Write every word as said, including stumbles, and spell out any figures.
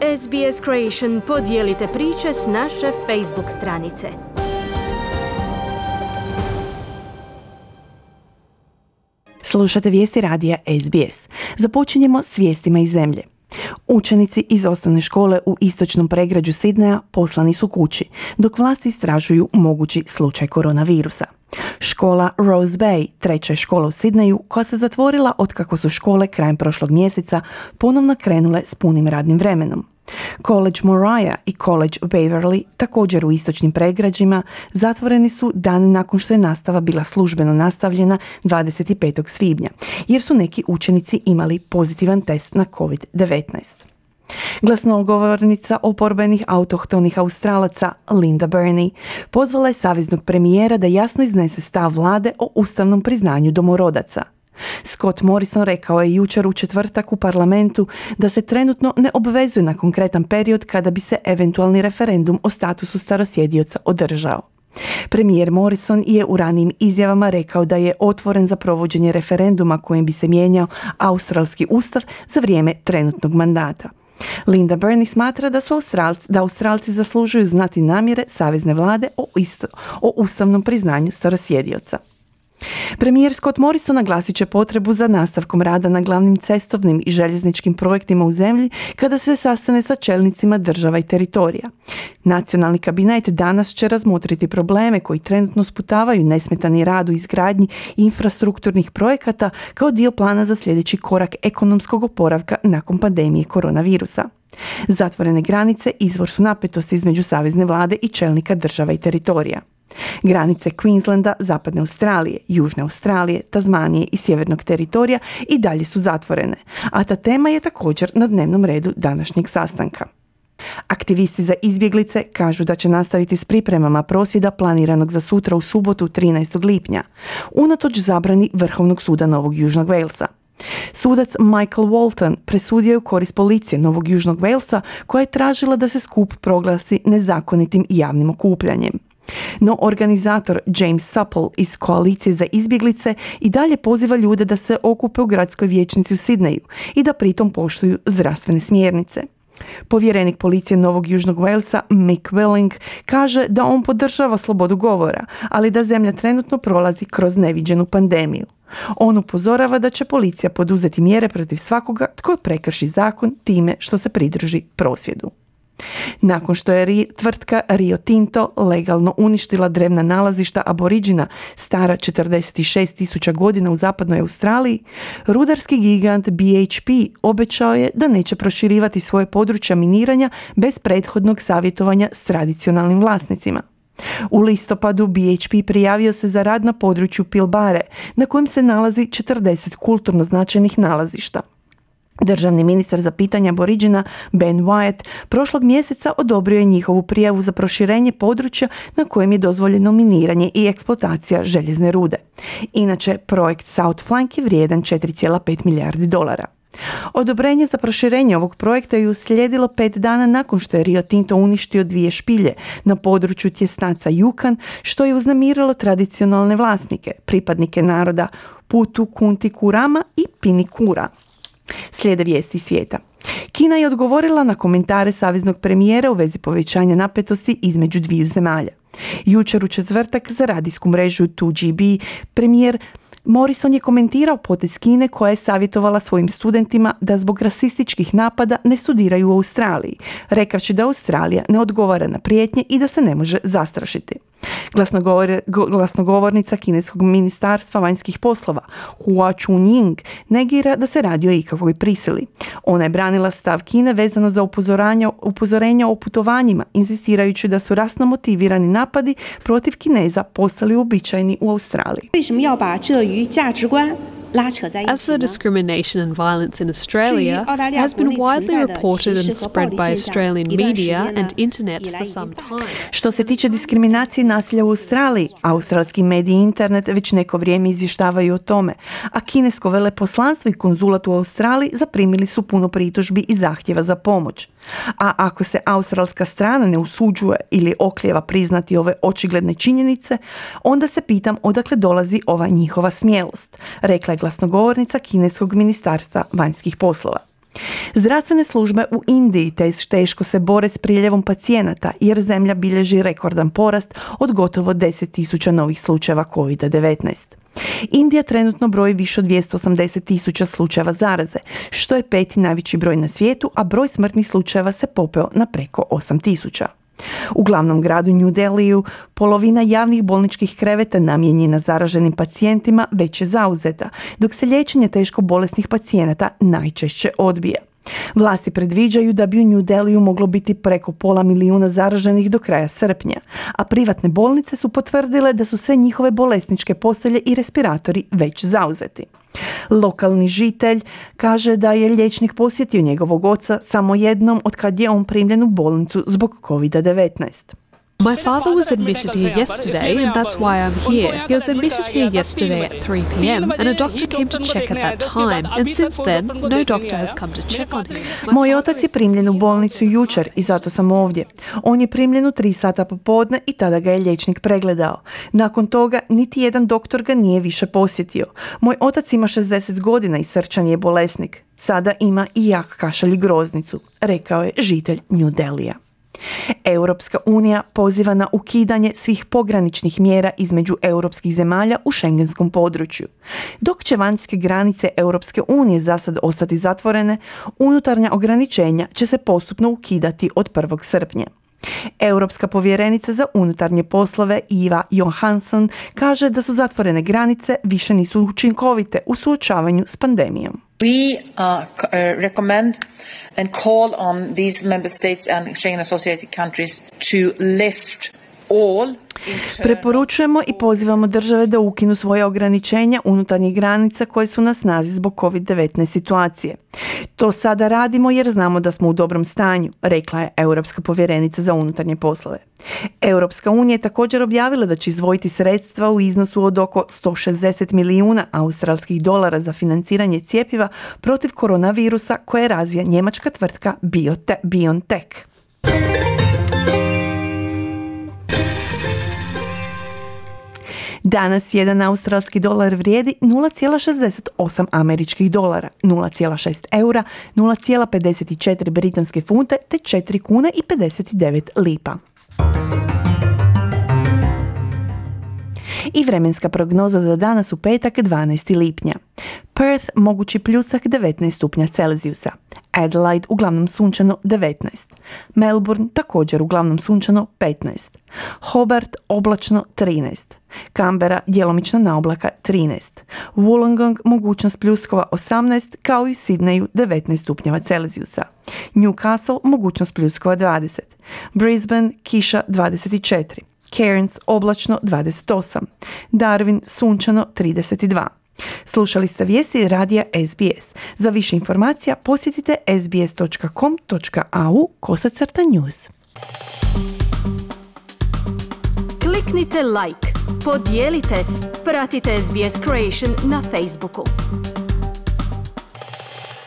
S B S Creation podijelite priče s naše Facebook stranice. Slušate vijesti radija S B S. Započinjemo s vijestima iz zemlje. Učenici iz osnovne škole u istočnom pregrađu Sidneja poslani su kući, dok vlasti istražuju mogući slučaj koronavirusa. Škola Rose Bay, treća je škola u Sidneju, koja se zatvorila otkako su škole krajem prošlog mjeseca ponovno krenule s punim radnim vremenom. College Moriah i College Waverly, također u istočnim pregrađima, zatvoreni su dan nakon što je nastava bila službeno nastavljena dvadeset petog svibnja, jer su neki učenici imali pozitivan test na covid devetnaest. Glasnogovornica oporbenih autohtonih Australaca Linda Burney pozvala je saveznog premijera da jasno iznese stav vlade o ustavnom priznanju domorodaca. Scott Morrison rekao je jučer u četvrtak u parlamentu da se trenutno ne obvezuje na konkretan period kada bi se eventualni referendum o statusu starosjedioca održao. Premijer Morrison je u ranijim izjavama rekao da je otvoren za provođenje referenduma kojim bi se mijenjao australski ustav za vrijeme trenutnog mandata. Linda Burney smatra da su Australci, da Australci zaslužuju znati namjere savezne vlade o, isto, o ustavnom priznanju starosjedioca. Premijer Scott Morrison naglasit će potrebu za nastavkom rada na glavnim cestovnim i željezničkim projektima u zemlji kada se sastane sa čelnicima država i teritorija. Nacionalni kabinet danas će razmotriti probleme koji trenutno sputavaju nesmetani rad u izgradnji infrastrukturnih projekata kao dio plana za sljedeći korak ekonomskog oporavka nakon pandemije koronavirusa. Zatvorene granice izvor su napetosti između savezne vlade i čelnika država i teritorija. Granice Queenslanda, Zapadne Australije, Južne Australije, Tazmanije i Sjevernog teritorija i dalje su zatvorene, a ta tema je također na dnevnom redu današnjeg sastanka. Aktivisti za izbjeglice kažu da će nastaviti s pripremama prosvjeda planiranog za sutra u subotu trinaestog lipnja, unatoč zabrani Vrhovnog suda Novog Južnog Walesa. Sudac Michael Walton presudio je u korist policije Novog Južnog Walesa koja je tražila da se skup proglasi nezakonitim javnim okupljanjem. No organizator James Supple iz Koalicije za izbjeglice i dalje poziva ljude da se okupe u gradskoj vijećnici u Sidneju i da pritom poštuju zdravstvene smjernice. Povjerenik policije Novog Južnog Walesa Mick Willing kaže da on podržava slobodu govora, ali da zemlja trenutno prolazi kroz neviđenu pandemiju. On upozorava da će policija poduzeti mjere protiv svakoga tko prekrši zakon time što se pridruži prosvjedu. Nakon što je tvrtka Rio Tinto legalno uništila drevna nalazišta aboriđina stara četrdeset šest tisuća godina u zapadnoj Australiji, rudarski gigant B H P obećao je da neće proširivati svoje područja miniranja bez prethodnog savjetovanja s tradicionalnim vlasnicima. U listopadu B H P prijavio se za rad na području Pilbare, na kojem se nalazi četrdeset kulturno značajnih nalazišta. Državni ministar za pitanja aboriđina Ben Wyatt prošlog mjeseca odobrio je njihovu prijavu za proširenje područja na kojem je dozvoljeno miniranje i eksploatacija željezne rude. Inače, projekt South Flank je vrijedan četiri zarez pet milijardi dolara. Odobrenje za proširenje ovog projekta je uslijedilo pet dana nakon što je Rio Tinto uništio dvije špilje na području tjesnaca Yukon, što je uznemirilo tradicionalne vlasnike, pripadnike naroda Putu Kunti Kurama i Pinikura. Slijede vijesti svijeta. Kina je odgovorila na komentare saveznog premijera u vezi povećanja napetosti između dviju zemalja. Jučer u četvrtak za radijsku mrežu dva G B premijer Morrison je komentirao potez Kine koja je savjetovala svojim studentima da zbog rasističkih napada ne studiraju u Australiji, rekavši da Australija ne odgovara na prijetnje i da se ne može zastrašiti. Glasnogovor, glasnogovornica kineskog ministarstva vanjskih poslova Hua Chunying negira da se radi o ikakvoj prisili. Ona je branila stav Kine vezano za upozorenja o putovanjima, inzistirajući da su rasno motivirani napadi protiv Kineza postali uobičajeni u Australiji. As for discrimination and violence in Australia, has been widely reported and spread by Australian media and internet for some time. Što se tiče diskriminacije i nasilja u Australiji, australski mediji i internet već neko vrijeme izvještavaju o tome, a kinesko veleposlanstvo i konzulat u Australiji zaprimili su puno pritužbi i zahtjeva za pomoć. A ako se australska strana ne usuđuje ili oklijeva priznati ove očigledne činjenice, onda se pitam odakle dolazi ova njihova smjelost, rekla je glasnogovornica kineskog ministarstva vanjskih poslova. Zdravstvene službe u Indiji teško se bore s priljevom pacijenata jer zemlja bilježi rekordan porast od gotovo deset tisuća novih slučajeva kovid devetnaest. Indija trenutno broji više od dvjesto osamdeset tisuća slučajeva zaraze, što je peti najveći broj na svijetu, a broj smrtnih slučajeva se popeo na preko osam tisuća. U glavnom gradu New Delhiju polovina javnih bolničkih kreveta namijenjena zaraženim pacijentima već je zauzeta, dok se liječenje teško bolesnih pacijenata najčešće odbija. Vlasti predviđaju da bi u New Delhiju moglo biti preko pola milijuna zaraženih do kraja srpnja, a privatne bolnice su potvrdile da su sve njihove bolesničke postelje i respiratori već zauzeti. Lokalni žitelj kaže da je liječnik posjetio njegovog oca samo jednom od kad je on primljen u bolnicu zbog kovid devetnaest. My father was admitted here yesterday, and that's why I'm here. He was admitted here yesterday at three p.m. and a doctor came to check at that time, and since then, no doctor has come to check on him. Moj otac je primljen u bolnicu jučer i zato sam ovdje. On je primljen u tri sata popodne i tada ga je liječnik pregledao. Nakon toga, niti jedan doktor ga nije više posjetio. Moj otac ima šezdeset godina i srčan je bolesnik. Sada ima i jak kašalj i groznicu, rekao je žitelj New Delhija. Europska unija poziva na ukidanje svih pograničnih mjera između europskih zemalja u šengenskom području. Dok će vanjske granice Europske unije za sad ostati zatvorene, unutarnja ograničenja će se postupno ukidati od prvog srpnja. Europska povjerenica za unutarnje poslove Eva Johansson kaže da su zatvorene granice više nisu učinkovite u suočavanju s pandemijom. We uh, uh, recommend and call on these member states and Schengen associated countries to lift all. Preporučujemo i pozivamo države da ukinu svoje ograničenja unutarnjih granica koje su na snazi zbog kovid devetnaest situacije. To sada radimo jer znamo da smo u dobrom stanju, rekla je Europska povjerenica za unutarnje poslove. Europska unija je također objavila da će izdvojiti sredstva u iznosu od oko sto šezdeset milijuna australskih dolara za financiranje cjepiva protiv koronavirusa koje razvija njemačka tvrtka Biote- BioNTech. Danas jedan australski dolar vrijedi nula zarez šezdeset osam američkih dolara, nula zarez šest eura, nula zarez pedeset četiri britanske funte te četiri kune i pedeset devet lipa. I vremenska prognoza za danas u petak dvanaestog lipnja. Perth mogući pljusak devetnaest stupnja Celzijusa. Adelaide uglavnom sunčano devetnaest. Melbourne također uglavnom sunčano petnaest. Hobart oblačno trinaest. Canberra djelomično na oblaka trinaest. Wollongong mogućnost pljuskova osamnaest kao i u Sydneyu devetnaest stupnjeva Celzijusa. Newcastle mogućnost pljuskova dvadeset. Brisbane kiša dvadeset četiri. Cairns oblačno dvadeset osam. Darwin sunčano trideset dva. Slušali ste vijesti radija S B S. Za više informacija posjetite s b s dot com dot a u kosacrta news. Kliknite like, podijelite, pratite S B S Creation na Facebooku.